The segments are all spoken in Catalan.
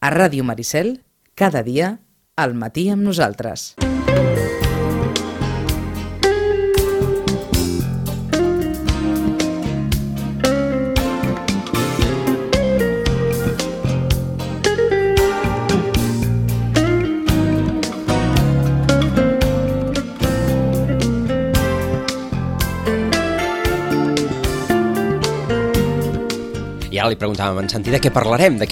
A Ràdio Maricel, cada dia, al matí amb nosaltres. I ara li preguntàvem, en Santi, de què parlarem?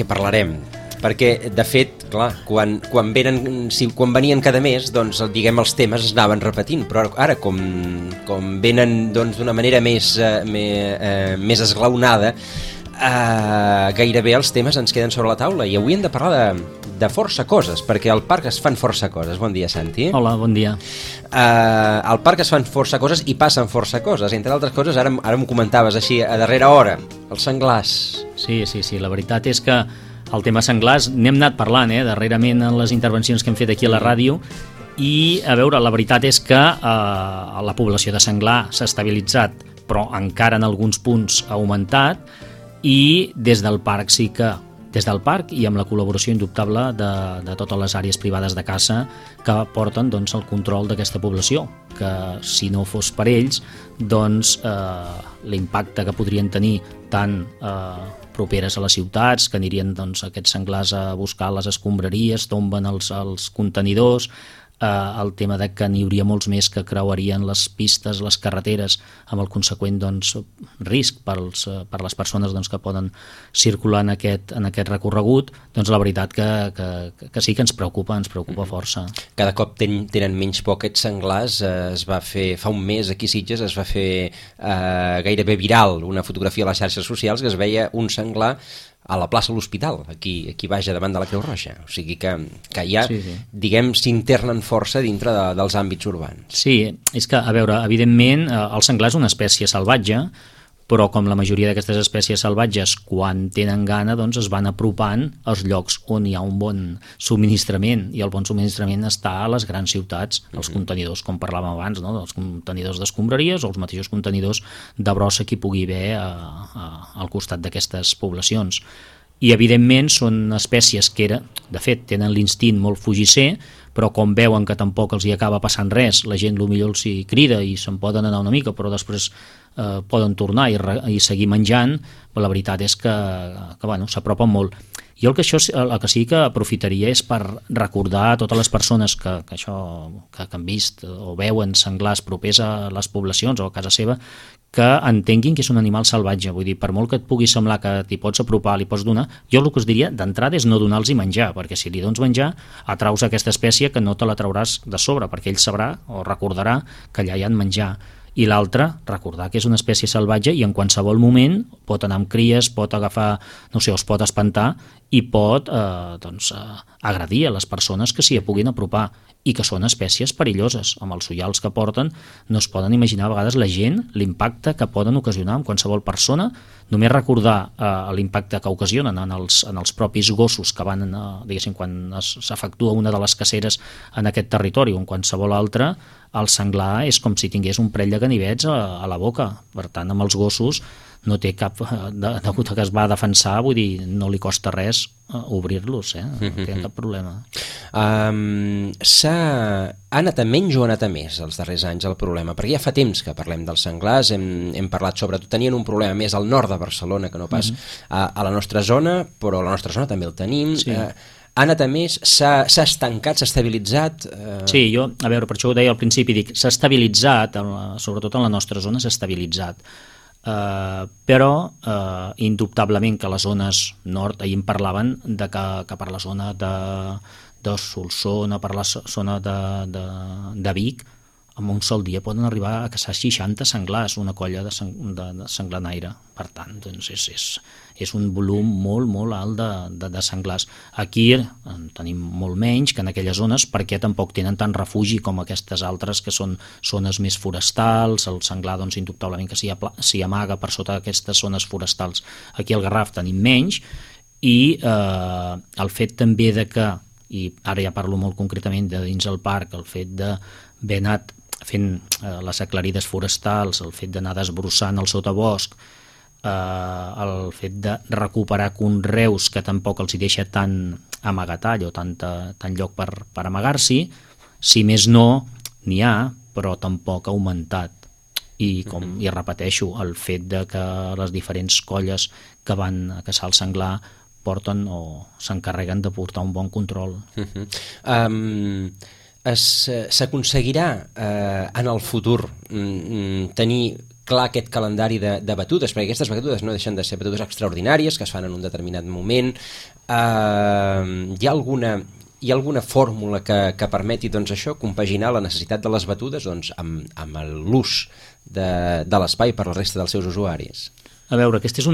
Perquè, de fet, clar, quan venien cada mes, doncs, diguem, els temes es anaven repetint, però ara, com venen d'una manera més esglaonada, gairebé els temes ens queden sobre la taula, i avui hem de parlar de força coses, perquè al parc es fan força coses. Bon dia, Santi. Hola, bon dia. Al parc es fan força coses i passen força coses. Entre altres coses, ara m'ho comentaves així, a darrera hora, els senglars. Sí, la veritat és que el tema senglars n'hem anat parlant, darrerament en les intervencions que hem fet aquí a la ràdio, i, a veure, la veritat és que la població de senglar s'ha estabilitzat, però encara en alguns punts ha augmentat, i des del parc i amb la col·laboració indubtable de totes les àrees privades de caça que porten el control d'aquesta població, que si no fos per ells, l'impacte que podrien tenir tant properes a les ciutats, que anirien aquests senglars a buscar les escombraries, tomben els contenidors, el tema de que n'hi hauria molts més que creuarien les pistes, les carreteres, amb el conseqüent risc per les persones que poden circular en aquest recorregut, la veritat que sí que ens preocupa força. Cada cop tenen menys por aquests senglars. Es va fer, fa un mes aquí a Sitges, es va fer gairebé viral una fotografia a les xarxes socials que es veia un senglar a la plaça de l'Hospital, aquí baix davant de la Creu Roja. O sigui que ja, diguem, s'internen força dintre dels àmbits urbans. Sí, és que, a veure, evidentment, el senglar és una espècie salvatge, però com la majoria d'aquestes espècies salvatges, quan tenen gana, es van apropant als llocs on hi ha un bon subministrament, i el bon subministrament està a les grans ciutats, els contenidors, com parlàvem abans, els contenidors d'escombraries o els mateixos contenidors de brossa que hi pugui haver al costat d'aquestes poblacions. I, evidentment, són espècies que, de fet, tenen l'instint molt fugisser, però com veuen que tampoc els hi acaba passant res, la gent potser els hi crida i se'n poden anar una mica, però després poden tornar i seguir menjant, però la veritat és que s'apropen molt. Jo el que sí que aprofitaria és per recordar a totes les persones que han vist o veuen senglars propers a les poblacions o a casa seva, que entenguin que és un animal salvatge. Vull dir, per molt que et pugui semblar que t'hi pots apropar, li pots donar, jo el que us diria d'entrada és no donar-los menjar, perquè si li dones menjar atraus aquesta espècie que no te la trauràs de sobre, perquè ell sabrà o recordarà que allà hi ha menjar. I l'altre, recordar que és una espècie salvatge i en qualsevol moment pot anar amb cries, pot agafar, es pot espantar i pot agredir a les persones que s'hi puguin apropar, i que són espècies perilloses. Amb els ullals que porten no es poden imaginar a vegades la gent l'impacte que poden ocasionar en qualsevol persona. Només recordar l'impacte que ocasionen en els propis gossos que van, diguéssim, quan s'efectua una de les caceres en aquest territori o en qualsevol altre, el senglar és com si tingués un parell de ganivets a la boca. Per tant, amb els gossos no té cap, degut a que es va defensar, vull dir, no li costa res obrir-los, no té cap problema. Ha anat a menys o ha anat a més els darrers anys el problema? Perquè ja fa temps que parlem dels senglars, hem parlat sobretot, tenien un problema més al nord de Barcelona que no pas a la nostra zona, però a la nostra zona també el tenim. Sí. Ha anat a més, s'ha estancat, s'ha estabilitzat? Sí, jo, a veure, per això ho deia al principi, dic, s'ha estabilitzat, sobretot en la nostra zona s'ha estabilitzat. Però indubtablement que les zones nord, ahir en parlaven de que per la zona de Solsona, per la zona de Vic, en un sol dia poden arribar a caçar 60 senglars, una colla de senglanaire. Per tant, doncs és un volum molt, molt alt de senglars. Aquí en tenim molt menys que en aquelles zones, perquè tampoc tenen tant refugi com aquestes altres que són zones més forestals. El senglar, doncs, indubtablement que s'hi amaga per sota d'aquestes zones forestals. Aquí al Garraf tenim menys, i el fet també de que, i ara ja parlo molt concretament de dins el parc, el fet d'haver anat fent les aclarides forestals, el fet d'anar desbrossant el sotabosc, el fet de recuperar conreus que tampoc els hi deixa tant amagatall o tant lloc per amagar-s'hi. Si més no, n'hi ha, però tampoc ha augmentat. I repeteixo, el fet de que les diferents colles que van a caçar el senglar porten o s'encarreguen de portar un bon control. S'aconseguirà en el futur tenir clar aquest calendari de batudes, perquè aquestes batudes no deixen de ser batudes extraordinàries que es fan en un determinat moment. Hi ha alguna fórmula que permeti doncs, això, compaginar la necessitat de les batudes doncs, amb l'ús de l'espai per la resta dels seus usuaris? A veure, aquesta és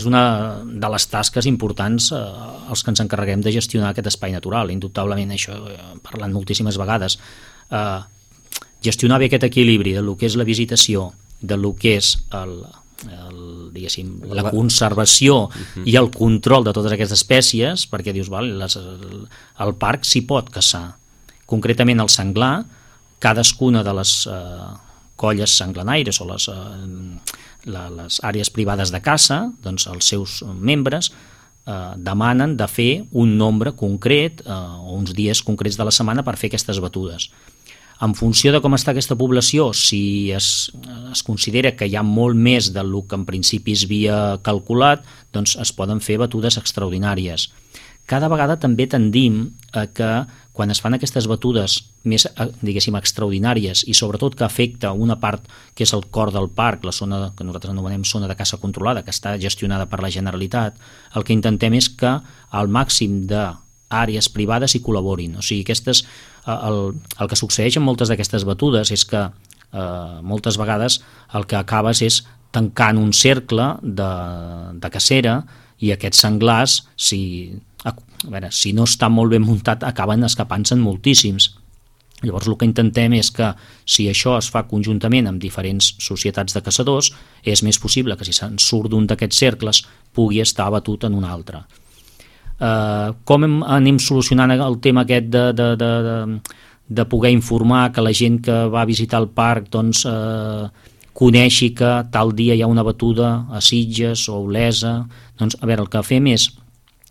una de les tasques importants els que ens encarreguem de gestionar aquest espai natural. Indubtablement, això parlant moltíssimes vegades, gestionar bé aquest equilibri del que és la visitació, del que és la conservació i el control de totes aquestes espècies, perquè dius, el parc s'hi pot caçar. Concretament el senglar, cadascuna de les colles senglanaires o les àrees privades de caça, doncs els seus membres demanen de fer un nombre concret o uns dies concrets de la setmana per fer aquestes batudes. En funció de com està aquesta població, si es considera que hi ha molt més del que en principi es havia calculat, doncs es poden fer batudes extraordinàries. Cada vegada també tendim a que quan es fan aquestes batudes més, diguéssim, extraordinàries i sobretot que afecta una part que és el cor del parc, la zona que nosaltres anomenem zona de caça controlada, que està gestionada per la Generalitat, el que intentem és que al màxim d'àrees privades hi col·laborin. O sigui, el que succeeix en moltes d'aquestes batudes és que moltes vegades el que acabes és tancant un cercle de cacera i aquests senglars, si no està molt ben muntat, acaben escapant-se'n moltíssims. Llavors el que intentem és que si això es fa conjuntament amb diferents societats de caçadors, és més possible que si se'n surt d'un d'aquests cercles pugui estar abatut en un altre. Com anem solucionant el tema aquest de poder informar que la gent que va a visitar el parc doncs, coneixi que tal dia hi ha una batuda a Sitges o a Olesa? Doncs, a veure, el que fem és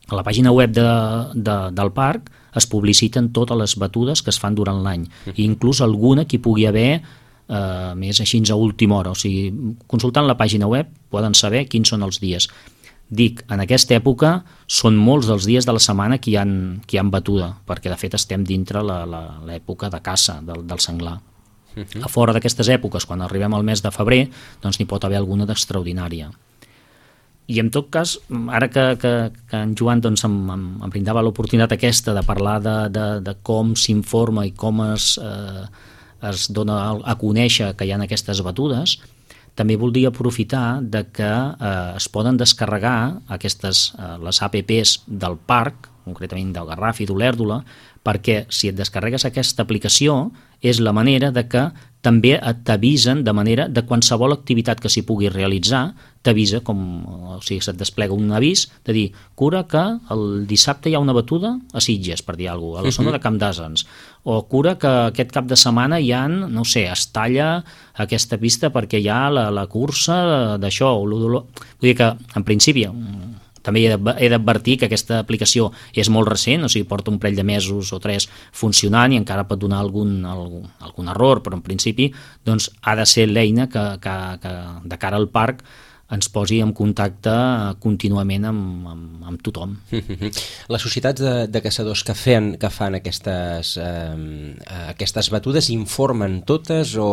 a la pàgina web del parc es publiciten totes les batudes que es fan durant l'any, i inclús alguna que hi pugui haver més així a última hora. O sigui, consultant la pàgina web poden saber quins són els dies. Dic, en aquesta època són molts dels dies de la setmana que hi ha batuda, perquè de fet estem dintre l'època de caça del senglar. A fora d'aquestes èpoques, quan arribem al mes de febrer, doncs n'hi pot haver alguna d'extraordinària. I en tot cas, ara que en Joan doncs, em brindava l'oportunitat aquesta de parlar de com s'informa i com es dona a conèixer que hi ha aquestes batudes, també voldria aprofitar de que es poden descarregar les APPs del parc, concretament del Garraf i d'Olèrdola, perquè si et descarregues aquesta aplicació és la manera de que també t'avisen de manera de qualsevol activitat que s'hi pugui realitzar, t'avisa o sigui, se't desplega un avís de dir, cura que el dissabte hi ha una batuda a Sitges, per dir alguna cosa, a la zona de Camp d'Àsens, o cura que aquest cap de setmana hi ha, no sé, es talla aquesta pista perquè hi ha la cursa d'això, vull dir que en principi també he d'advertir que aquesta aplicació és molt recent, o sigui, porta un parell de mesos o 3 funcionant i encara pot donar algun error, però en principi doncs, ha de ser l'eina que de cara al parc ens posi en contacte contínuament amb tothom. Les societats de caçadors que fan aquestes batudes informen totes o...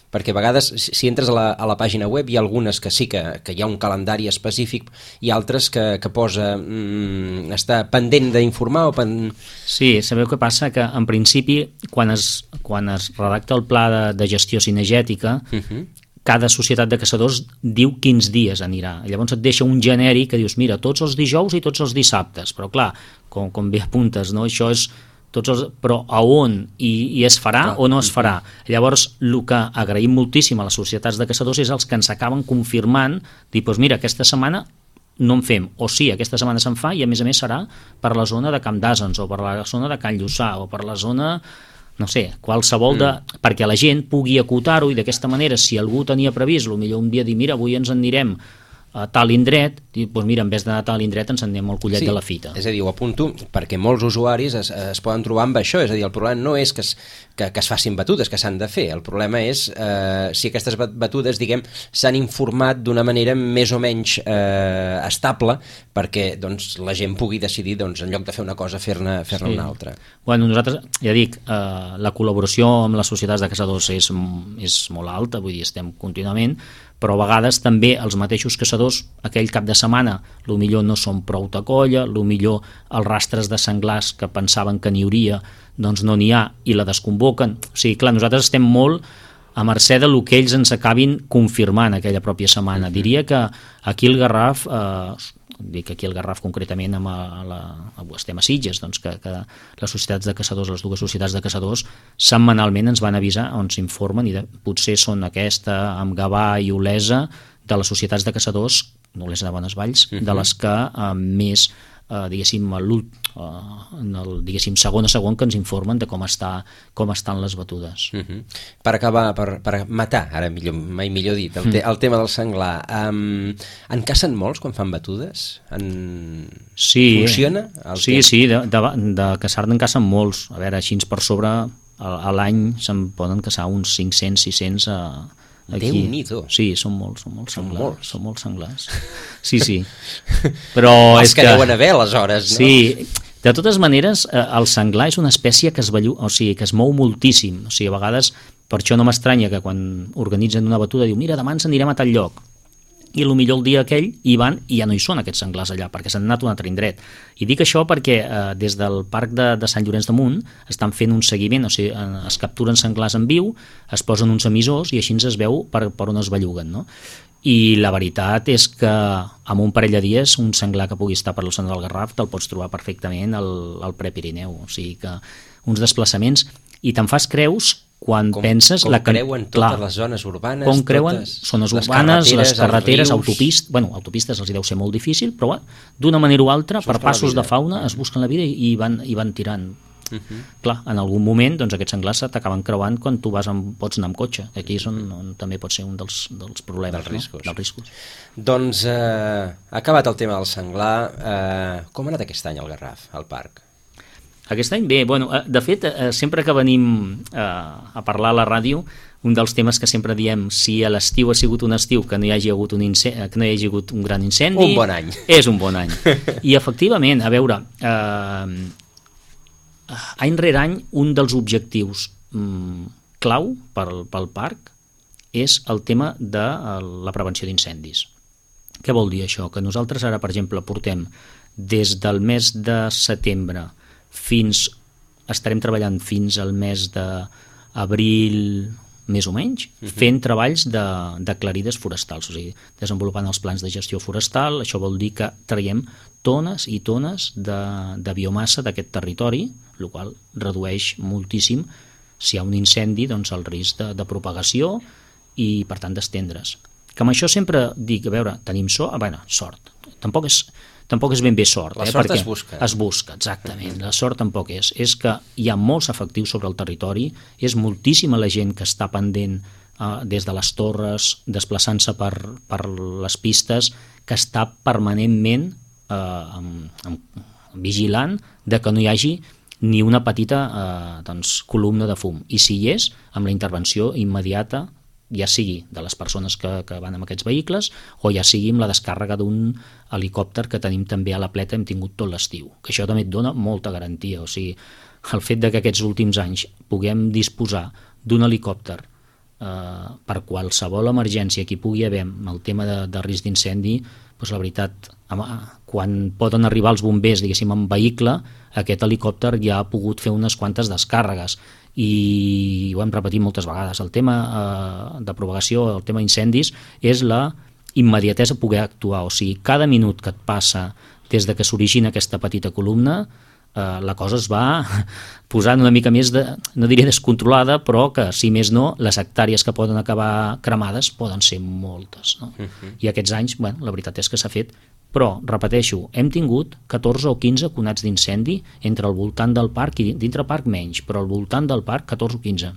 perquè a vegades si entres a la pàgina web hi ha algunes que sí que hi ha un calendari específic i altres que posa està pendent d'informar o Sí, sabeu què passa? Que en principi quan es redacta el pla de gestió cinegètica cada societat de caçadors diu quins dies anirà. Llavors et deixa un genèric que dius, mira, tots els dijous i tots els dissabtes, però clar, com bé apuntes, no? Això és però a on i es farà o no es farà. Llavors, el que agraïm moltíssim a les societats de caçadors és els que ens acaben confirmant, dir, doncs mira, aquesta setmana no en fem, o sí, aquesta setmana se'n fa i a més serà per la zona de Camp d'Àsens o per la zona de Can Lluçà o per la zona, no sé, qualsevol perquè la gent pugui acotar-ho i d'aquesta manera, si algú tenia previst, potser un dia dir, mira, avui ens en anirem a tal indret, doncs mira, en vez d'anar a tal indret ens anem al collet de la fita. És a dir, ho apunto perquè molts usuaris es poden trobar amb això, és a dir, el problema no és que es facin batudes, que s'han de fer, el problema és si aquestes batudes, diguem, s'han informat d'una manera més o menys estable perquè doncs, la gent pugui decidir, doncs, en lloc de fer una cosa, fer-ne una altra. Bueno, nosaltres, ja dic, la col·laboració amb les societats de caçadors és molt alta, vull dir, estem contínuament, però a vegades també els mateixos caçadors aquell cap de setmana millor no són prou de colla, millor els rastres de senglars que pensaven que n'hi hauria doncs no n'hi ha i la desconvoquen. O sigui, clar, nosaltres estem molt a mercè del que ells ens acabin confirmant aquella pròpia setmana. Diria que aquí el Garraf, dic aquí el Garraf concretament, estem a Sitges, doncs que les societats de caçadors, les dues societats de caçadors, setmanalment ens van avisar on s'informen, i potser són aquesta, amb Gavà i Olesa, de les societats de caçadors, Olesa de Bonesvalls, de les que més, diguéssim, segon a segon que ens informen de com estan les batudes. Per acabar, per matar, ara mai millor dit, el tema del senglar, en cacen molts quan fan batudes? Funciona? Sí, de caçar-ne en cacen molts. A veure, així per sobre a l'any se'n poden caçar uns 500, 600 aquí. Déu-n'hi-do. Sí, són molts senglars. Són molts senglars. Sí. Però els que deuen haver, aleshores, no? Sí, de totes maneres, el senglar és una espècie que es mou moltíssim. O sigui, a vegades, per això no m'estranya que quan organitzen una batuda diu, mira, demà ens anirem a tal lloc. I millor el dia aquell hi van i ja no hi són aquests senglars allà, perquè s'han anat a un altre indret. I dic això perquè des del parc de Sant Llorenç de Munt estan fent un seguiment, o sigui, es capturen senglars en viu, es posen uns emissors i així es veu per on es belluguen, no? I la veritat és que amb un parell de dies un senglar que pugui estar per la zona del Garraf te'l pots trobar perfectament al Prepirineu, o sigui que uns desplaçaments, i te'n fas creus quan penses... Com creuen totes les zones urbanes? Com creuen zones urbanes, les carreteres, autopistes els hi deu ser molt difícil, però d'una manera o altra, per passos de fauna, es busquen la vida i van tirant. Clar, en algun moment aquests senglars t'acaben creuant quan tu pots anar amb cotxe. Aquí és on també pot ser un dels problemes, dels riscos. Doncs acabat el tema del senglar, com ha anat aquest any al Garraf, al parc? Aquest any bé, de fet, sempre que venim a parlar a la ràdio, un dels temes que sempre diem, si a l'estiu ha sigut un estiu que no hi hagi hagut un gran incendi... Un bon any. És un bon any. I efectivament, a veure, any rere any, un dels objectius clau pel parc és el tema de la prevenció d'incendis. Què vol dir això? Que nosaltres ara, per exemple, portem des del mes de setembre estarem treballant fins al mes d'abril, més o menys, fent treballs de clarides forestals, o sigui, desenvolupant els plans de gestió forestal. Això vol dir que traiem tones i tones de biomassa d'aquest territori, el qual redueix moltíssim, si hi ha un incendi, doncs el risc de propagació i, per tant, d'estendre's. Que amb això sempre dic, a veure, tenim sort. Tampoc és ben bé sort. La sort es busca. Es busca, exactament. La sort tampoc és. És que hi ha molts efectius sobre el territori, és moltíssima la gent que està pendent des de les torres, desplaçant-se per les pistes, que està permanentment vigilant de que no hi hagi ni una petita columna de fum. I si hi és, amb la intervenció immediata, ja sigui de les persones que van amb aquests vehicles o ja sigui amb la descàrrega d'un helicòpter que tenim també a la Pleta, hem tingut tot l'estiu, que això també et dona molta garantia. O sigui, el fet de que aquests últims anys puguem disposar d'un helicòpter per qualsevol emergència que hi pugui haver amb el tema de risc d'incendi, doncs la veritat, quan poden arribar els bombers, diguéssim, en vehicle, aquest helicòpter ja ha pogut fer unes quantes descàrregues. I ho hem repetit moltes vegades, el tema de propagació, el tema d'incendis, és la immediatesa a poder actuar. O sigui, cada minut que et passa des de que s'origina aquesta petita columna, la cosa es va posant una mica més, no diria descontrolada, però que, si més no, les hectàrees que poden acabar cremades poden ser moltes, no? I aquests anys, la veritat és que s'ha fet. Però, repeteixo, hem tingut 14 o 15 conats d'incendi entre el voltant del parc i dintre el parc menys, però al voltant del parc 14 o 15,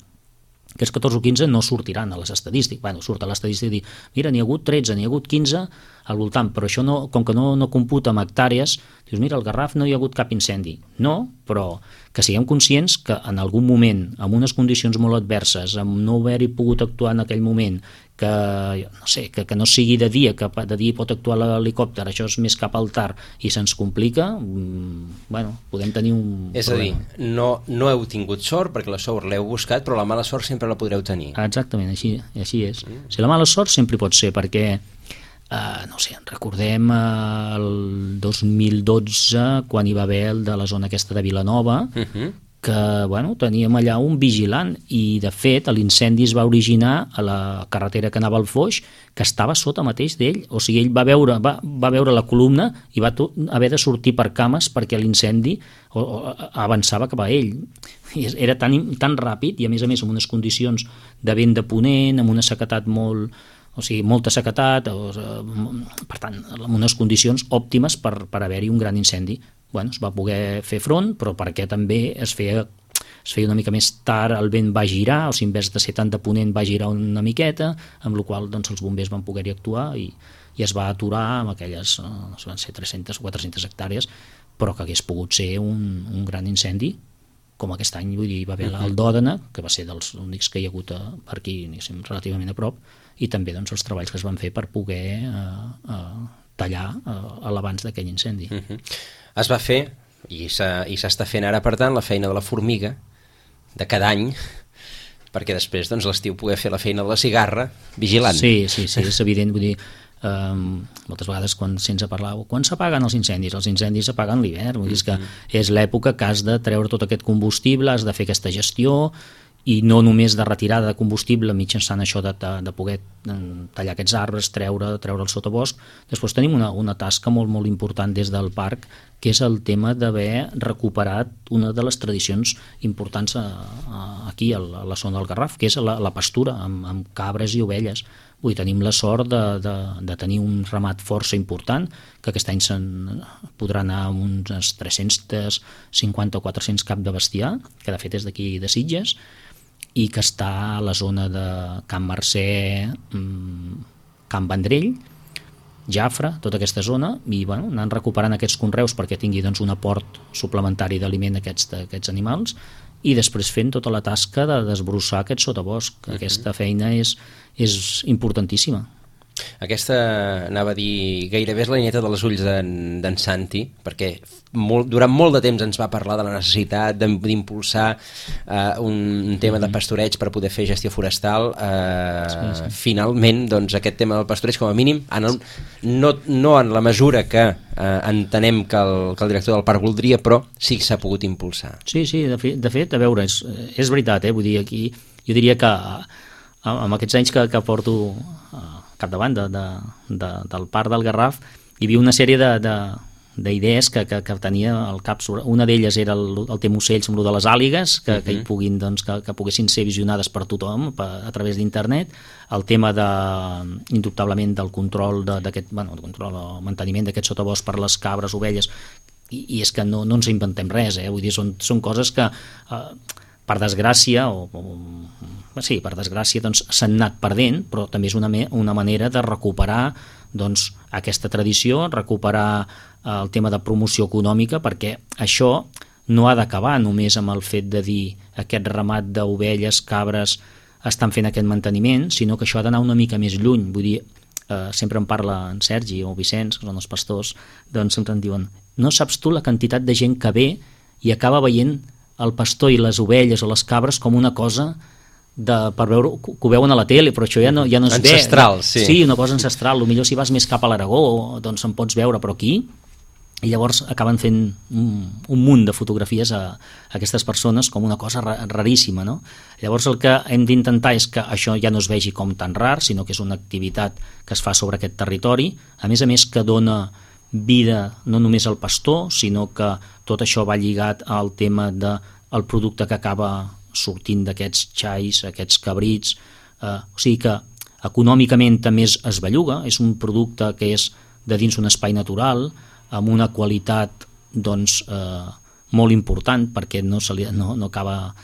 aquests 14 o 15 no sortiran a les estadístiques. Bueno, surt a l'estadística i dir, mira, n'hi ha hagut 13, n'hi ha hagut 15 al voltant, però això no, com que no computa amb hectàrees, dius, mira, al Garraf no hi ha hagut cap incendi. No, però que siguem conscients que en algun moment, amb unes condicions molt adverses, amb no haver-hi pogut actuar en aquell moment, que no sé, que no sigui de dia, que de dia pot actuar l'helicòpter, això és més cap al tard i se'ns complica, bueno, podem tenir un és problema. a dir, no heu tingut sort perquè la sort l'heu buscat, però la mala sort sempre la podreu tenir. Exactament, així és. Si la mala sort sempre pot ser, perquè no sé, recordem el 2012 quan hi va haver el de la zona aquesta de Vilanova, que bueno, teníem allà un vigilant i de fet l'incendi es va originar a la carretera que anava al Foix, que estava sota mateix d'ell, o sigui, ell va veure la columna i va haver de sortir per cames perquè l'incendi avançava cap a ell. I era tan ràpid i a més amb unes condicions de vent de ponent, amb una sequedat molta sequetat, per tant, amb unes condicions òptimes per haver-hi un gran incendi. Bueno, es va poder fer front, però perquè també es feia una mica més tard, el vent va girar, o sigui, en vez de ser tant de ponent va girar una miqueta, amb la qual doncs, els bombers van poder-hi actuar i es va aturar amb aquelles, no sé, van ser 300 o 400 hectàrees, però que hagués pogut ser un gran incendi, com aquest any, vull dir, va haver el d'Òdena, que va ser dels únics que hi ha hagut per aquí, relativament a prop, i també doncs, els treballs que es van fer per poder tallar l'abans d'aquell incendi. Es va fer, i s'està fent ara, per tant, la feina de la formiga de cada any, perquè després doncs, l'estiu poder fer la feina de la cigarra vigilant. Sí, és evident, vull dir, moltes vegades quan sents a parlar quan s'apaguen els incendis s'apaguen l'hivern, vull dir, que és l'època que has de treure tot aquest combustible, has de fer aquesta gestió, i no només de retirada de combustible mitjançant això de poder tallar aquests arbres, treure el sotabosc. Després tenim una tasca molt, molt important des del parc, que és el tema d'haver recuperat una de les tradicions importants aquí a la zona del Garraf, que és la pastura amb cabres i ovelles. Vull dir, tenim la sort de tenir un ramat força important, que aquest any se'n podrà anar amb uns 350 o 400 cap de bestiar, que de fet és d'aquí de Sitges, i que està a la zona de Can Mercè, Can Vendrell, Jafre, tota aquesta zona, i bueno, anant recuperant aquests conreus perquè tingui doncs, un aport suplementari d'aliment a aquests animals, i després fent tota la tasca de desbrossar aquest sotabosc. Aquesta feina és importantíssima. Aquesta, anava a dir, gairebé és la nieta dels ulls d'en Santi, perquè durant molt de temps ens va parlar de la necessitat d'impulsar un tema de pastoreig per poder fer gestió forestal. Finalment, doncs, aquest tema del pastoreig, com a mínim, no en la mesura que entenem que el director del parc voldria, però sí que s'ha pogut impulsar. Sí, de fet, a veure, és veritat, vull dir, aquí jo diria que amb aquests anys que porto capdavant del parc del Garraf, hi havia una sèrie d'idees que tenia al cap. Una d'elles era el tema ocells amb el de les àligues, que hi puguin, doncs, que poguessin ser visionades per tothom a través d'internet, el tema indubtablement del control control o manteniment d'aquest sotabosc per les cabres, ovelles, i és que no ens inventem res, vull dir, són coses que per desgràcia doncs, s'han anat perdent, però també és una manera de recuperar doncs, aquesta tradició, recuperar el tema de promoció econòmica, perquè això no ha d'acabar només amb el fet de dir aquest ramat d'ovelles, cabres, estan fent aquest manteniment, sinó que això ha d'anar una mica més lluny. Vull dir, sempre em parla en Sergi o Vicenç, que són els pastors, doncs sempre em diuen, no saps tu la quantitat de gent que ve i acaba veient el pastor i les ovelles o les cabres com una cosa per veure, que ho veuen a la tele, però això ja no es ve. Ancestral, sí. Sí, una cosa ancestral. Potser si vas més cap a l'Aragó, doncs en pots veure, però aquí... I llavors acaben fent un munt de fotografies a aquestes persones com una cosa raríssima, no? Llavors el que hem d'intentar és que això ja no es vegi com tan rar, sinó que és una activitat que es fa sobre aquest territori, a més que dona vida no només al pastor, sinó que tot això va lligat al tema del producte que acaba sortint d'aquests xais, aquests cabrits, o sigui que econòmicament també es belluga, és un producte que és de dins un espai natural, amb una qualitat doncs, molt important, perquè no acaba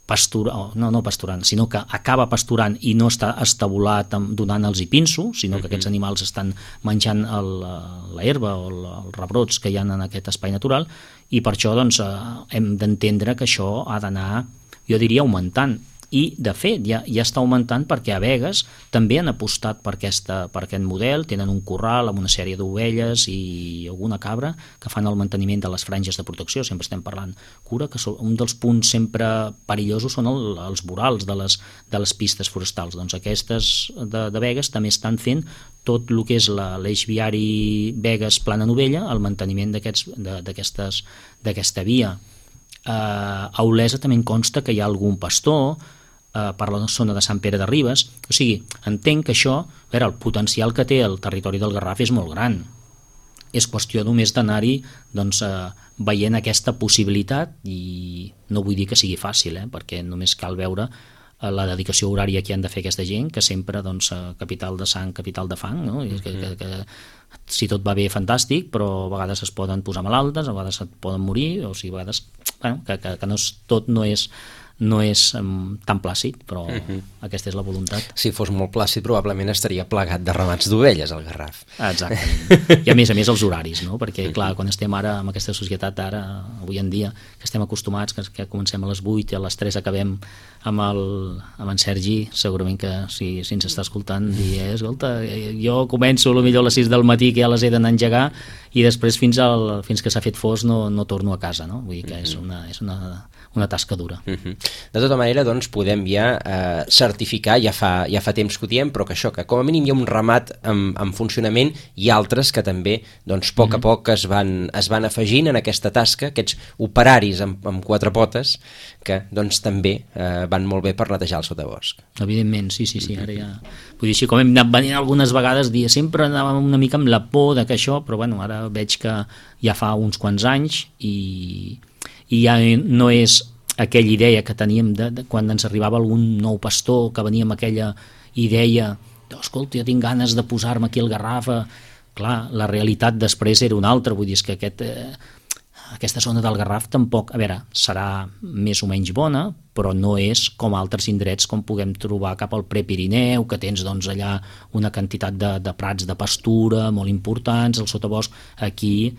no pasturant, sinó que acaba pasturant i no està estabulat donant-los i pinso, sinó que aquests animals estan menjant la herba o els rebrots que hi ha en aquest espai natural, i per això doncs, hem d'entendre que això ha d'anar, jo diria, augmentant. I, de fet, ja està augmentant perquè a Begues també han apostat per aquest model, tenen un corral amb una sèrie d'ovelles i alguna cabra que fan el manteniment de les franges de protecció, sempre estem parlant cura, que un dels punts sempre perillosos són els vorals de les pistes forestals. Doncs aquestes de Begues també estan fent tot el que és l'eix viari Begues-Plana Novella, el manteniment d'aquesta via. A Olesa també en consta que hi ha algun pastor per la zona de Sant Pere de Ribes, o sigui, entenc que això, el potencial que té el territori del Garraf és molt gran. És qüestió només d'anar-hi veient aquesta possibilitat, i no vull dir que sigui fàcil, perquè només cal veure la dedicació horària que han de fer aquesta gent, que sempre, capital de sang, capital de fang, no? Que si tot va bé, fantàstic, però a vegades es poden posar malaltes, a vegades et poden morir, o sigui, a vegades que tot no és tan plàcid, però aquesta és la voluntat. Si fos molt plàcid, probablement estaria plagat de ramats d'ovelles al Garraf. Exactament. I a més els horaris, no? Perquè, clar, quan estem ara amb aquesta societat, avui en dia, que estem acostumats, que comencem a les 8 i a les 3 acabem amb en Sergi, segurament que si ens està escoltant, dir, escolta, jo començo potser a les 6 del matí, que ja les he d'anar a engegar, i després fins que s'ha fet fos no torno a casa, no? Vull dir que és una tasca dura. De tota manera, doncs, podem ja certificar, ja fa temps que ho diem, però que això, que com a mínim hi ha un ramat en funcionament, i altres que també, doncs, a poc es van afegint en aquesta tasca, aquests operaris amb quatre potes, que, doncs, també van molt bé per netejar el sotabosc. Evidentment, sí, ara ja... Vull dir, així com hem anat venint algunes vegades, sempre anàvem una mica amb la por de que això, però bueno, ara veig que ja fa uns quants anys i ja no és aquella idea que teníem quan ens arribava algun nou pastor que venia amb aquella idea escolta, jo tinc ganes de posar-me aquí al Garraf. Clar, la realitat després era una altra, vull dir, que aquesta zona del Garraf tampoc, serà més o menys bona, però no és com altres indrets com puguem trobar cap al Prepirineu, que tens allà una quantitat de prats de pastura molt importants, el sotabosc. Aquí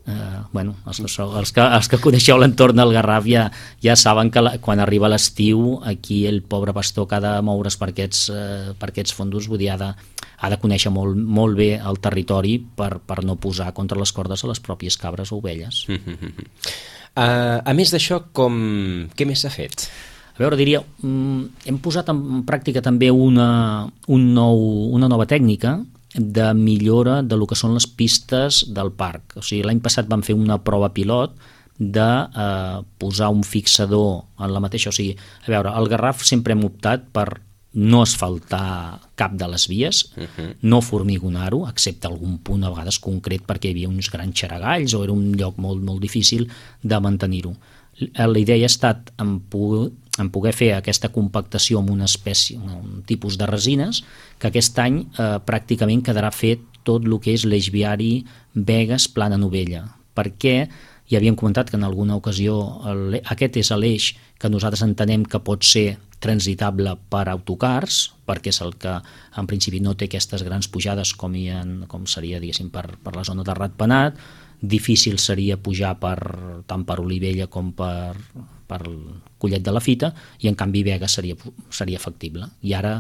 els que coneixeu l'entorn del Garraf ja saben que quan arriba l'estiu aquí el pobre pastor que ha de moure's per aquests fondos, vull dir, ha de conèixer molt bé el territori per no posar contra les cordes a les pròpies cabres o ovelles. A més d'això, què més s'ha fet? Diria, hem posat en pràctica també una nova tècnica de millora de lo que són les pistes del parc. O sigui, l'any passat vam fer una prova pilot de posar un fixador en la mateixa... O sigui, al Garraf sempre hem optat per no asfaltar cap de les vies, no formigonar-ho, excepte algun punt a vegades concret perquè hi havia uns grans xaragalls o era un lloc molt, molt difícil de mantenir-ho. La idea ha estat en poder fer aquesta compactació amb una espècie, un tipus de resines, que aquest any pràcticament quedarà fet tot el que és l'eix viari Begues-Plana Novella, perquè ja havíem comentat que en alguna ocasió aquest és l'eix que nosaltres entenem que pot ser transitable per autocars, perquè és el que en principi no té aquestes grans pujades com seria, diguéssim, per la zona de Ratpenat. Difícil seria pujar tant per Olivella com per Collet de la Fita, i en canvi Begues seria factible. I ara,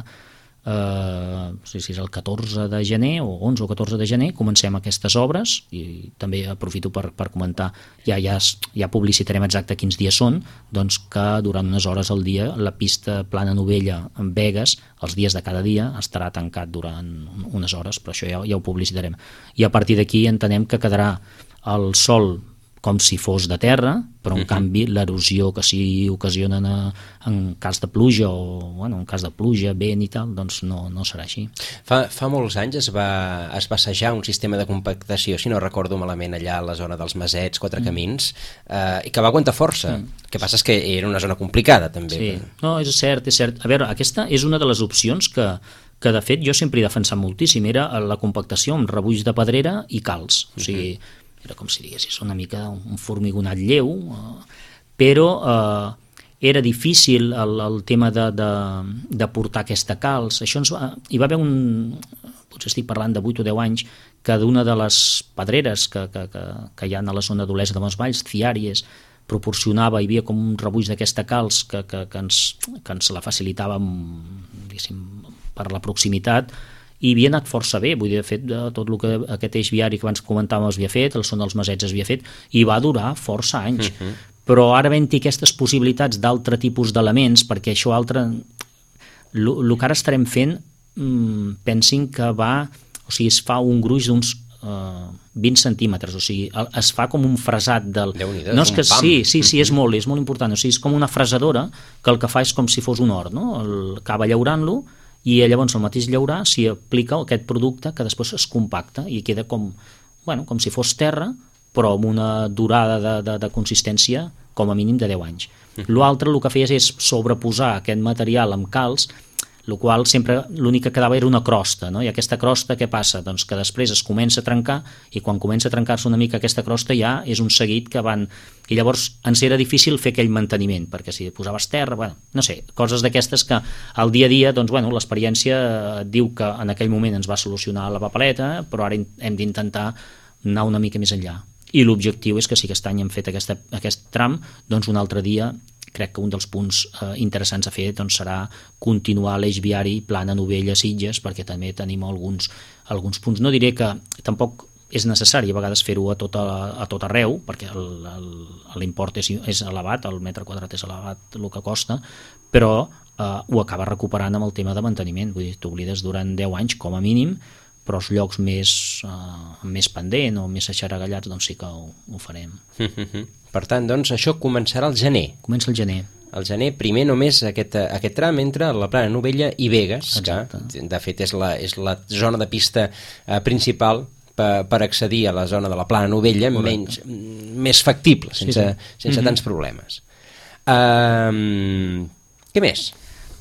si és el 14 de gener o 11 o 14 de gener, comencem aquestes obres, i també aprofito per comentar, ja publicitarem exacte quins dies són, doncs que durant unes hores al dia la pista Plana Novella en Begues, els dies de cada dia, estarà tancat durant unes hores, però això ja ho publicitarem. I a partir d'aquí entenem que quedarà el sòl com si fos de terra, però en canvi l'erosió que s'hi ocasiona en cas de pluja o en cas de pluja, vent i tal, doncs no serà així. Fa molts anys es va assajar un sistema de compactació, si no recordo malament, allà a la zona dels Masets, Quatre Camins, i que va aguantar força. El que passa és que era una zona complicada, també. Sí, no, és cert. Aquesta és una de les opcions que de fet jo sempre he defensat moltíssim, era la compactació amb rebuig de pedrera i calç, o sigui, era com si diguessis una mica un formigonat lleu, però era difícil el tema de portar aquesta calç. Això hi va haver potser estic parlant de 8 o 10 anys, que d'una de les pedreres que hi ha a la zona d'Olesa de Montvalls, Ciàries, proporcionava, hi havia com un rebuig d'aquesta calç que ens la facilitava per la proximitat, i havia anat força bé, vull dir, de fet, tot el que aquest eix viari que abans comentàvem es havia fet, el Son dels Masets es havia fet, i va durar força anys. Però ara havent-hi aquestes possibilitats d'altre tipus d'elements, perquè això altre, el que ara estarem fent, pensin que es fa un gruix d'uns 20 centímetres, o sigui, es fa com un fresat del... No és que sí, és molt important, o sigui, és com una fresadora que el que fa és com si fos un hort, no? Acaba llaurant-lo i llavors al mateix llaurar s'hi aplica aquest producte que després es compacta i queda com si fos terra, però amb una durada de consistència com a mínim de 10 anys. L'altre el que feies és sobreposar aquest material amb calç, el qual sempre l'únic que quedava era una crosta, no? I aquesta crosta què passa? Doncs que després es comença a trencar, i quan comença a trencar-se una mica aquesta crosta ja és un seguit que van... I llavors ens era difícil fer aquell manteniment, perquè si posaves terra, no sé, coses d'aquestes que al dia a dia, doncs, l'experiència diu que en aquell moment ens va solucionar la papeleta, però ara hem d'intentar anar una mica més enllà. I l'objectiu és que si aquest any hem fet aquest tram, doncs un altre dia crec que un dels punts interessants a fer doncs, serà continuar l'eix viari Plana, Novella, Sitges, perquè també tenim alguns punts. No diré que tampoc és necessari a vegades fer-ho a tot arreu, perquè l'import és elevat, el metre quadrat és elevat el que costa, però ho acaba recuperant amb el tema de manteniment. Vull dir, t'oblides durant 10 anys com a mínim, però els llocs més pendent o més aixaragallats doncs sí que ho farem. Per tant, doncs, això començarà al gener. Comença al gener. Al gener, primer només aquest tram entre la Plana Novella i Begues, exacte, que de fet és la zona de pista principal per accedir a la zona de la Plana Novella, més factible, sense tants problemes. Què més?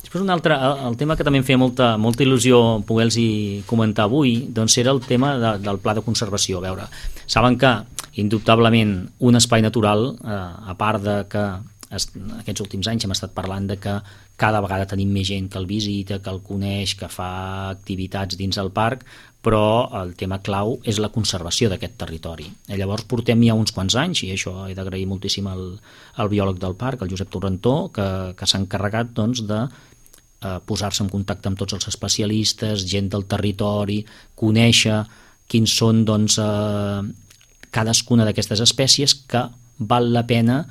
Després un altre, el tema que també em feia molta il·lusió poder-los comentar avui, doncs era el tema del pla de conservació. A veure, saben que indubtablement un espai natural, a part de que aquests últims anys hem estat parlant de que cada vegada tenim més gent que el visita, que el coneix, que fa activitats dins el parc, però el tema clau és la conservació d'aquest territori. Llavors portem ja uns quants anys, i això he d'agrair moltíssim al biòleg del parc, el Josep Torrentó, que s'ha encarregat doncs, de posar-se en contacte amb tots els especialistes, gent del territori, conèixer quins són doncs, cadascuna d'aquestes espècies que val la pena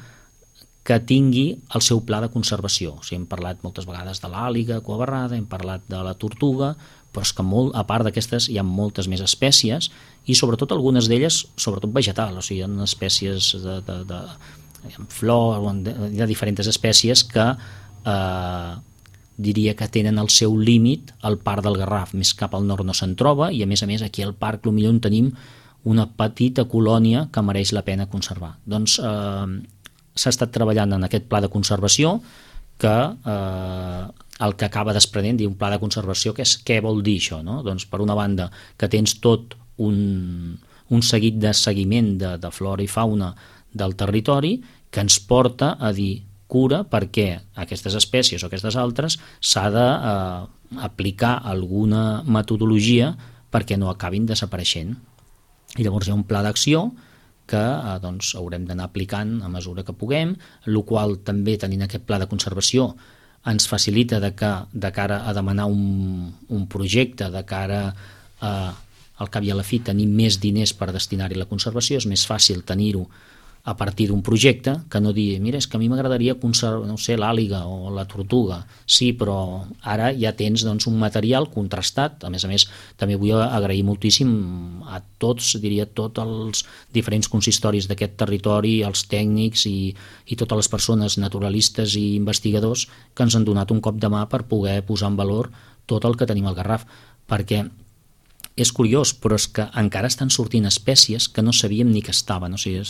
que tingui el seu pla de conservació. O sigui, hem parlat moltes vegades de l'àliga cuabarrada, hem parlat de la tortuga, però és que a part d'aquestes hi ha moltes més espècies i sobretot algunes d'elles, sobretot vegetal, o sigui, hi ha espècies de flor, hi ha diferents espècies que diria que tenen el seu límit al Parc del Garraf, més cap al nord no se'n troba, i a més aquí al parc potser en tenim una petita colònia que mereix la pena conservar. Doncs s'ha estat treballant en aquest pla de conservació que el que acaba desprenent diu un pla de conservació, que és què vol dir això, no? Doncs per una banda que tens tot un seguit de seguiment de flora i fauna del territori que ens porta a dir cura perquè aquestes espècies o aquestes altres s'ha d'aplicar alguna metodologia perquè no acabin desapareixent. I llavors hi ha un pla d'acció que doncs, haurem d'anar aplicant a mesura que puguem, el qual també tenint aquest pla de conservació ens facilita de cara a demanar un projecte, de cara al cap i a la fi tenir més diners per destinar-hi la conservació, és més fàcil tenir-ho a partir d'un projecte que no dir, mira, és que a mi m'agradaria conservar, no sé, l'àliga o la tortuga. Sí, però ara ja tens doncs, un material contrastat. A més, també vull agrair moltíssim a tots, diria, tots els diferents consistoris d'aquest territori, els tècnics i totes les persones naturalistes i investigadors que ens han donat un cop de mà per poder posar en valor tot el que tenim al Garraf, perquè és curiós, però és que encara estan sortint espècies que no sabíem ni que estaven, o sigui,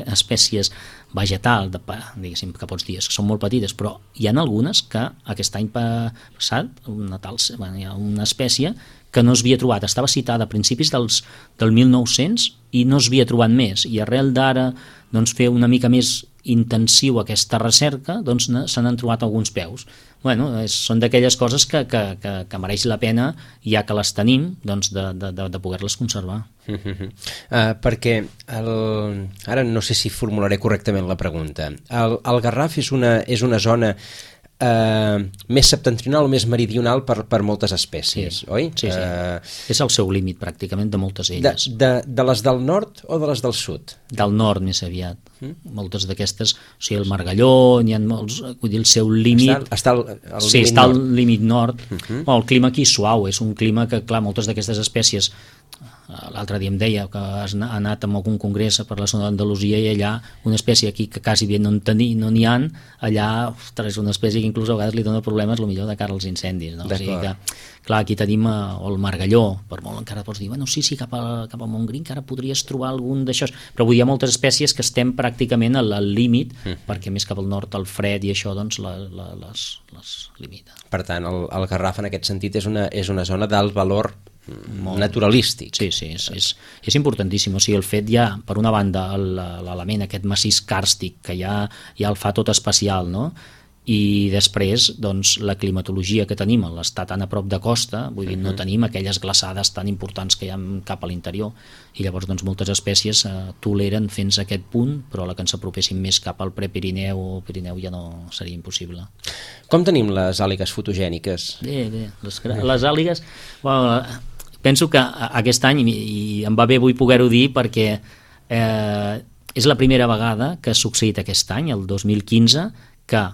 espècies vegetal, diguéssim, que pots dir, que són molt petites, però hi ha algunes que aquest any passat, hi ha una espècie que no s'havia trobat, estava citada a principis del 1900 i no s'havia trobat més, i arrel d'ara doncs, fer una mica més intensiu aquesta recerca, doncs se n'han trobat alguns peus. Bueno, són d'aquelles coses que mereix la pena, ja que les tenim, doncs de poder-les conservar. Perquè ara no sé si formularé correctament la pregunta. El Garraf és una zona més septentrional o més meridional per moltes espècies, oi? Sí. És el seu límit pràcticament de moltes elles. De les del nord o de les del sud? Del nord més aviat. Moltes d'aquestes, o sigui, el Margalló, n'hi ha molts, vull dir, el seu límit... Està al límit nord. El clima aquí és suau, és un clima que, clar, moltes d'aquestes espècies... L'altre dia em deia que has anat a algun congrés per la zona d'Andalusia i allà una espècie aquí que quasi bé no n'hi ha, allà és una espècie que inclús a vegades li dona problemes potser de cara als incendis, no? O sigui que, clar, aquí tenim el Margalló, per molt encara pots dir, bueno, sí, cap a Montgrí encara podries trobar algun d'això, però vull dir, hi ha moltes espècies que estem pràcticament al límit, perquè més cap al nord el fred i això doncs les limita. Per tant, el Garraf en aquest sentit és una zona d'alt valor naturalístic. Sí, és importantíssim. O sigui, el fet ja, per una banda, l'element aquest massís càrstic que ja el fa tot especial, no? I després, doncs, la climatologia que tenim, l'estar tan a prop de costa, vull dir, no tenim aquelles glaçades tan importants que hi ha cap a l'interior, i llavors, doncs, moltes espècies toleren fins a aquest punt, però la que ens apropéssim més cap al Prepirineu o Pirineu ja no seria impossible. Com tenim les àligues fotogèniques? Bé, les àligues... Bueno, penso que aquest any, i em va bé avui poder-ho dir, perquè és la primera vegada que ha succeït aquest any, el 2015, que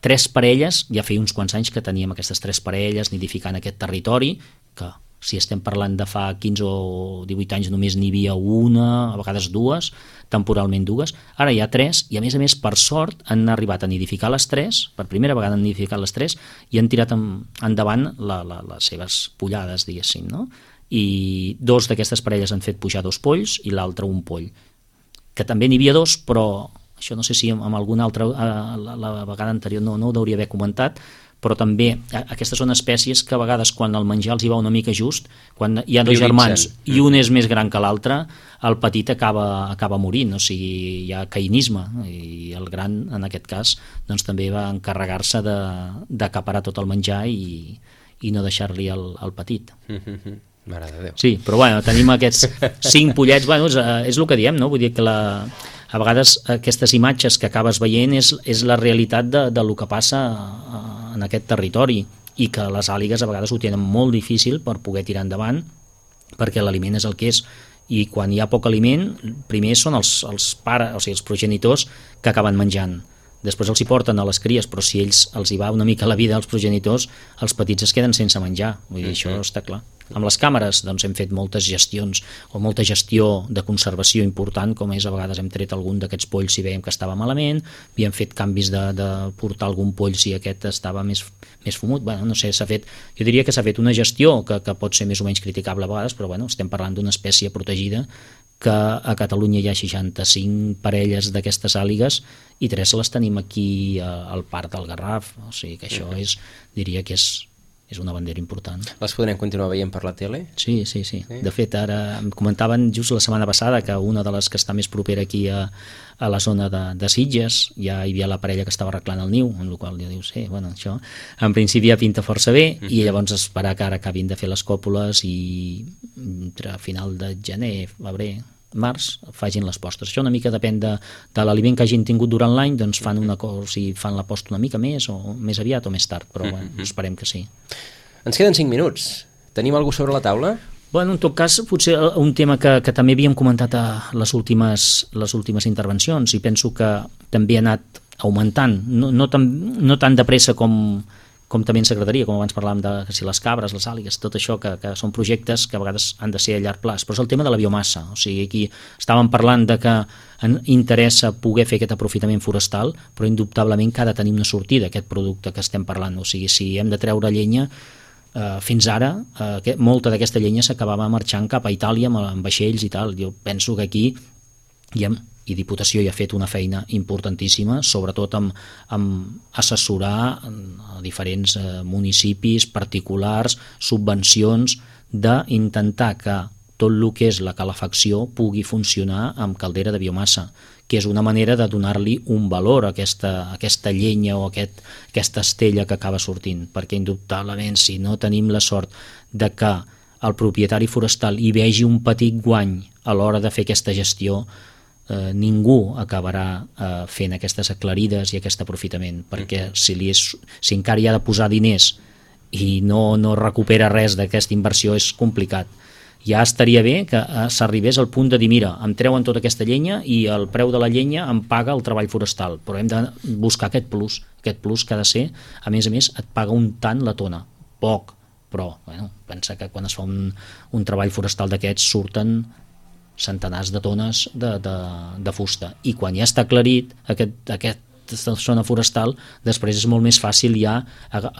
3 parelles, ja feia uns quants anys que teníem aquestes 3 parelles nidificant aquest territori, que si estem parlant de fa 15 o 18 anys només n'hi havia una, a vegades 2, temporalment 2, ara hi ha 3, i a més, per sort, han arribat a nidificar les 3, per primera vegada han nidificat les 3, i han tirat endavant les seves pollades, diguéssim, no? I 2 d'aquestes parelles han fet pujar 2 polls i l'altre un poll, que també n'hi havia 2, però això no sé si amb alguna altra, la vegada anterior no ho hauria d'haver comentat, però també aquestes són espècies que a vegades quan el menjar els hi va una mica just, quan hi ha 2 germans i un és més gran que l'altre, el petit acaba morint, o sigui, hi ha caïnisme, i el gran, en aquest cas, doncs també va encarregar-se d'acaparar tot el menjar i no deixar-li el petit. Mare de Déu. Sí, però bueno, tenim aquests 5 pollets, bueno, és el que diem, no? Vull dir que a vegades aquestes imatges que acabes veient és la realitat del que passa en aquest territori, i que les àligues a vegades ho tenen molt difícil per poder tirar endavant, perquè l'aliment és el que és, i quan hi ha poc aliment, primer són els pares, o sigui, els progenitors que acaben menjant. Després els hi porten a les cries, però si ells els hi va una mica la vida als progenitors, els petits es queden sense menjar. Vull dir, això està clar. Amb les càmeres doncs, hem fet moltes gestions o molta gestió de conservació important, com és a vegades hem tret algun d'aquests polls si veiem que estava malament, havíem fet canvis de portar algun poll si aquest estava més fumut. Bueno, no sé, jo diria que s'ha fet una gestió que pot ser més o menys criticable a vegades, però bueno, estem parlant d'una espècie protegida, que a Catalunya hi ha 65 parelles d'aquestes àligues i 3 les tenim aquí al Parc del Garraf, o sigui que això diria que és una bandera important. Les podrem continuar veient per la tele? Sí. De fet, ara em comentaven just la setmana passada que una de les que està més propera aquí a la zona de Sitges ja hi havia la parella que estava arreglant el niu, en la qual ja dius, bueno, això en principi ja pinta força bé, i llavors esperar que ara acabin de fer les còpules i entre final de gener, febrer, març, facin les postes. Això una mica depèn de l'aliment que hagin tingut durant l'any, doncs fan fan la posta una mica més o més aviat o més tard, però bueno, esperem que sí. Ens queden 5 minuts. Tenim alguna cosa sobre la taula? Bueno, en tot cas, potser un tema que també havíem comentat a les últimes intervencions, i penso que també ha anat augmentant, no tan de pressa com també ens agradaria, com abans parlàvem de si les cabres, les àligues, tot això que són projectes que a vegades han de ser a llarg plaç, però és el tema de la biomassa. O sigui, aquí estàvem parlant de que interessa poder fer aquest aprofitament forestal, però indubtablement que ha de tenir una sortida aquest producte que estem parlant. O sigui, si hem de treure llenya, fins ara molta d'aquesta llenya s'acabava marxant cap a Itàlia amb vaixells i tal. Jo penso que aquí i Diputació hi ha fet una feina importantíssima, sobretot amb assessorar a diferents municipis, particulars, subvencions, d'intentar que tot el que és la calefacció pugui funcionar amb caldera de biomassa, que és una manera de donar-li un valor a aquesta llenya o aquesta estella que acaba sortint, perquè indubtablement si no tenim la sort de que el propietari forestal hi vegi un petit guany a l'hora de fer aquesta gestió, ningú acabarà fent aquestes aclarides i aquest aprofitament, perquè si encara hi ha de posar diners i no recupera res d'aquesta inversió és complicat. Ja estaria bé que s'arribés al punt de dir, mira, em treuen tota aquesta llenya i el preu de la llenya em paga el treball forestal, però hem de buscar aquest plus que ha de ser, a més, et paga un tant la tona, poc, però pensa que quan es fa un treball forestal d'aquests surten centenars de tones de fusta, i quan ja està aclarit aquesta zona forestal, després és molt més fàcil ja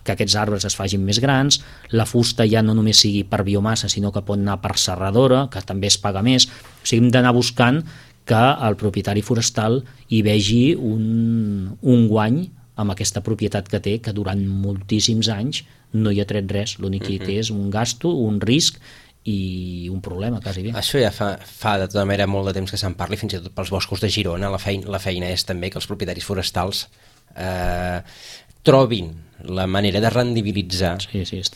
que aquests arbres es facin més grans, la fusta ja no només sigui per biomassa, sinó que pot anar per serradora, que també es paga més. O sigui, hem d'anar buscant que el propietari forestal hi vegi un guany amb aquesta propietat que té, que durant moltíssims anys no hi ha tret res, l'únic que hi té és un gasto, un risc i un problema, quasi bé. Això ja fa de tota manera molt de temps que se'n parli, fins i tot pels boscos de Girona. La feina és també que els propietaris forestals trobin la manera de rendibilitzar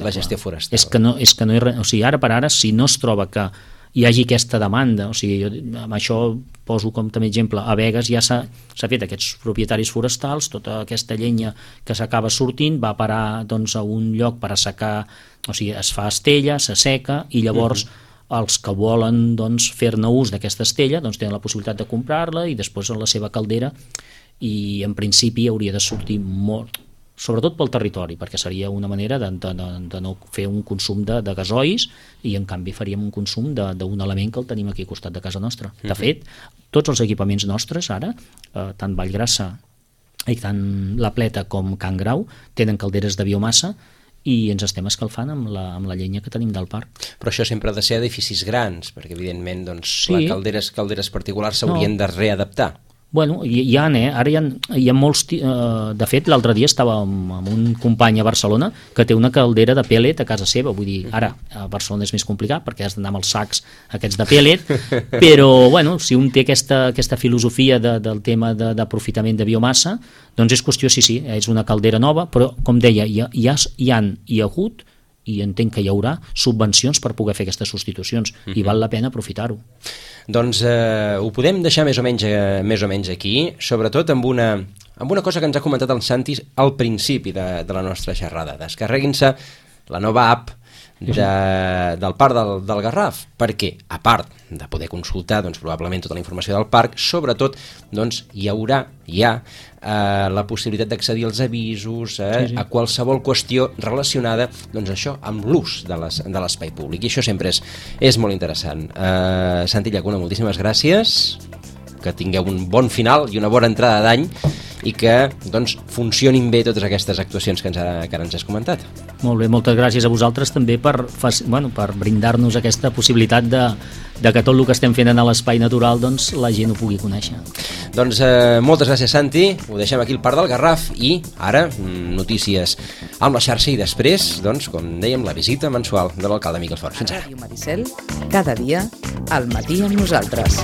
la gestió forestal. És que no hi ha, o sigui, ara per ara, si no es troba que hi hagi aquesta demanda, o sigui, jo amb això poso com també exemple, a Begues ja s'ha fet aquests propietaris forestals, tota aquesta llenya que s'acaba sortint va parar doncs, a un lloc per assecar, o sigui, es fa estella, s'asseca i llavors els que volen doncs, fer-ne ús d'aquesta estella doncs, tenen la possibilitat de comprar-la i després en la seva caldera, i en principi hauria de sortir molt, sobretot pel territori, perquè seria una manera de no fer un consum de gasois, i en canvi faríem un consum d'un element que el tenim aquí al costat de casa nostra. De fet, tots els equipaments nostres ara, tant Vallgrassa i tant La Pleta com Can Grau, tenen calderes de biomassa i ens estem escalfant amb la llenya que tenim del parc. Però això sempre ha de ser edificis grans, perquè evidentment doncs, les calderes particulars s'haurien de readaptar. Bueno, ara hi ha molts... De fet, l'altre dia estava amb un company a Barcelona que té una caldera de pellet a casa seva. Vull dir, ara a Barcelona és més complicat perquè has d'anar amb els sacs aquests de pellet, però bueno, si un té aquesta filosofia del tema d'aprofitament de biomassa, doncs és qüestió, sí, és una caldera nova, però com deia, hi ha hagut i entenc que hi haurà subvencions per poder fer aquestes substitucions i val la pena aprofitar-ho. Doncs ho podem deixar més o menys aquí, sobretot amb una cosa que ens ha comentat el Santi al principi de la nostra xerrada. Descarreguin-se la nova app del Parc del Garraf, perquè a part de poder consultar doncs, probablement tota la informació del parc, sobretot doncs, hi ha la possibilitat d'accedir als avisos, a qualsevol qüestió relacionada doncs, això amb l'ús de l'espai públic, i això sempre és molt interessant. Santi Llacuna, moltíssimes gràcies, que tingueu un bon final i una bona entrada d'any i que doncs, funcionin bé totes aquestes actuacions que ara ens has comentat. Molt bé, moltes gràcies a vosaltres també per brindar-nos aquesta possibilitat de que tot el que estem fent a l'espai natural doncs, la gent ho pugui conèixer. Doncs moltes gràcies, Santi, ho deixem aquí al Parc del Garraf i ara notícies amb la xarxa i després, doncs, com dèiem, la visita mensual de l'alcalde Miquel Fort. Fins ara. Ràdio Maricel, cada dia al matí amb nosaltres.